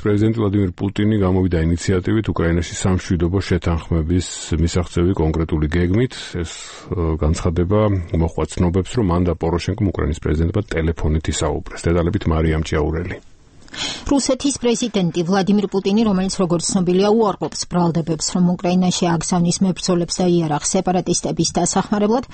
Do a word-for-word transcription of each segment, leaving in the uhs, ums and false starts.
პრეზიდენტი ვლადიმირ პუტინი გამოვიდა ინიციატივით უკრაინაში სამშვიდობო შეთანხმების მისაღწევი კონკრეტული გეგმით. ეს განცხადება მოჰყვა ცნობებს, რომ მან და პოროშენკომ უკრაინის პრეზიდენტმა ტელეფონით ისაუბრეს. დეტალებით მარიამ ჭიაურელი. რუსეთის პრეზიდენტი ვლადიმირ პუტინი, რომელიც როგორც ცნობილია, უარყოფს ბრალდებებს, რომ უკრაინაში აგზავნის მებრძოლებს და იარაღ სეპარატისტების დასახმარებლად,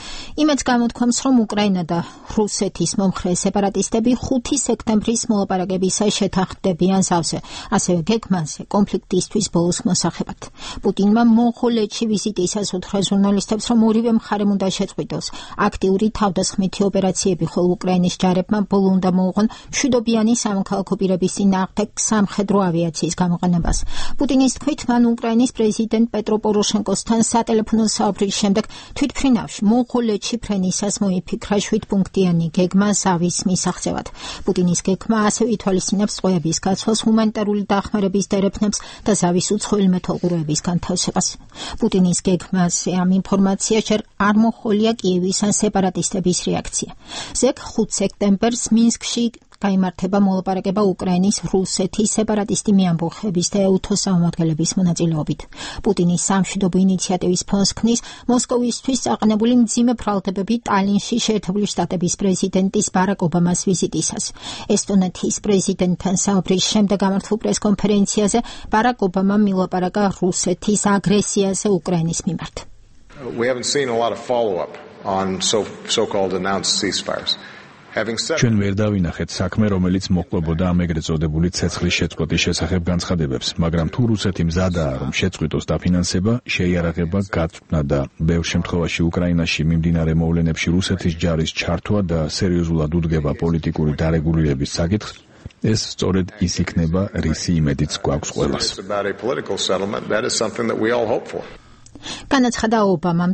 იმედს გამოთქვამს, რომ უკრაინა და რუსეთის მომხრე სეპარატისტები ხუთი სექტემბრის მოლაპარაკებისას შეთანხმდებიან სავსე, ასევე გეგმაზე კონფლიქტისთვის ბოლოს მოსახებად. პუტინმა მონღოლეთში ვიზიტისას უთხრა ჟურნალისტებს, რომ ორივე მხარემ უნდა შეწყვიტოს აქტიური თავდასხმითი ოპერაციები, ხოლო უკრაინის ჯარებმა ბოლო უნდა მოუღონ მშვიდობიანი სამოქალაქო პირების წინააღმდეგ სამხედრო ავიაციის გამოყენებას. პუტინის თქმით, მან უკრაინის პრეზიდენტ პეტრო პოროშენკოსთან სატელეფონო საუბრის შემდეგ თვითმფრინავში მონღოლეთში ფრენისას მოიფიქრა შვიდპუნქტიანი გეგმა ზავის მისაღწევად. პუტინის გეგმა ასევე ითვალისწინებს ტყვეების გაცვლას, ჰუმანიტარული დახმარების დერეფნებს და ზავის უცხოელი მეთვალყურეების განთავსებას. პუტინის გეგმაზე ამ ინფორმაციას ჯერ არ მოჰყოლია კიევის ან სეპარატისტების რეაქცია. ზეგ ხუთ სექტემბერს მინსკში გაიმართება მოლაპარაკება უკრაინის რუსეთის სეპარატისტი მეამბოხების და ეუთოს წარმომადგენლების მონაწილეობით. პუტინის სამშვიდობო ინიციატივის ფონს ქმნის მოსკოვისთვის წაყენებული მძიმე ბრალდებები ტალინში შეერთებული შტატების პრეზიდენტის ბარაკ ობამას ვიზიტისას. ესტონეთის პრეზიდენტთან საუბრის შემდეგ გამართულ პრესკონფერენციაზე ბარაკ ობამამ მილაპარაკა რუსეთის აგრესიაზე უკრაინის მიმართ. We haven't seen a lot of follow-up on so so-called announced ceasefires. ჩვენ ვერ დავინახეთ საქმე, რომელიც მოყოლბოდა ამ ეგრეთ წოდებული ცეცხლის შეწყვეტის შესახებ განცხადებებს, მაგრამ თუ რუსეთი მზადაა, რომ შეწყვიტოს დაფინანსება, შეიარაღება, გაწვნა და ბევრ შემთხვევაში უკრაინაში მიმდინარე მოვლენებში რუსეთის ჯარის ჩართვა და სერიოზულად უდგება პოლიტიკური დარეგულირების საკითხს, ეს სწორედ ის იქნება, რისი იმედიც გვაქვს ყველას. განაცხადა ობამამ